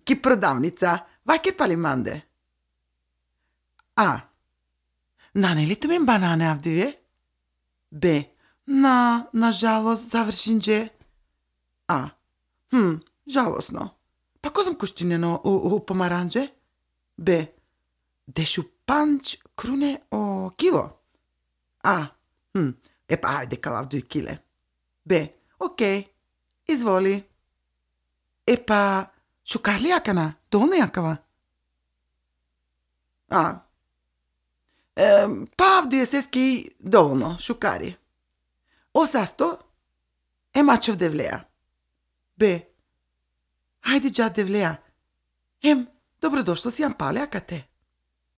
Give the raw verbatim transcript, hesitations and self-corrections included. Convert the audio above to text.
ки продавница, ваќе пали манде. А. Нане ли мен банане авдиве? Б. На, на жалост, завршинđe. А. Хм, жалосно. Па козам куштинено у, у помаранđe? Б. Дешу панч круне о кило. А. Хм, епа, ајде калавдуј киле. Б. Окей, изволи. Епа, шукарли јакана, долна јакава? А. Е, па авдие сески доволно, шукари. Осасто е мачов девлеја. Б. Ајде джа девлеја. Ем, добродошло си јам палеа кате.